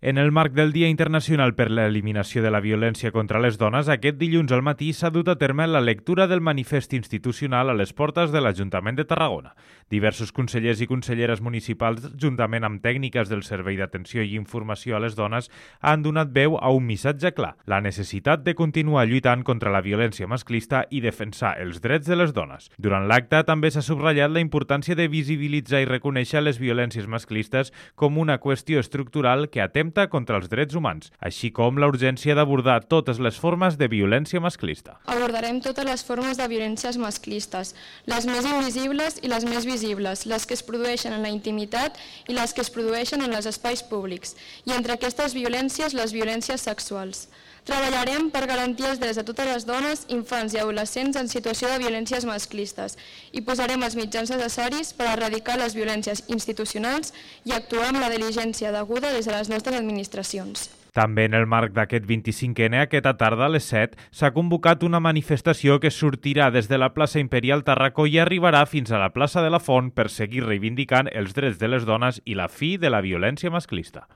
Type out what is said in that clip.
En el marc del Dia Internacional per l'Eliminació de la Violència contra les Dones, aquest dilluns al matí s'ha dut a terme la lectura del manifest institucional a les portes de l'Ajuntament de Tarragona. Diversos consellers i conselleres municipals, juntament amb tècniques del Servei d'Atenció i Informació a les Dones, han donat veu a un missatge clar: la necessitat de continuar lluitant contra la violència masclista i defensar els drets de les dones. Durant l'acte també s'ha subratllat la importància de visibilitzar i reconèixer les violències masclistes com una qüestió estructural que atempta contra els drets humans, així com la urgència d'abordar totes les formes de violència masclista. Abordarem totes les formes de violències masclistes, les més invisibles i les més visibles, les que es produeixen en la intimitat i les que es produeixen en els espais públics, i entre aquestes violències, les violències sexuals. Treballarem per garantir els drets de totes les dones, infants i adolescents en situació de violències masclistes i posarem els mitjans necessaris per erradicar les violències institucionals i actuar amb la diligència deguda des de les nostres administracions. També en el marc d'aquest 25N, aquesta tarda a les 7, s'ha convocat una manifestació que sortirà des de la plaça Imperial Tarraco i arribarà fins a la plaça de la Font per seguir reivindicant els drets de les dones i la fi de la violència masclista.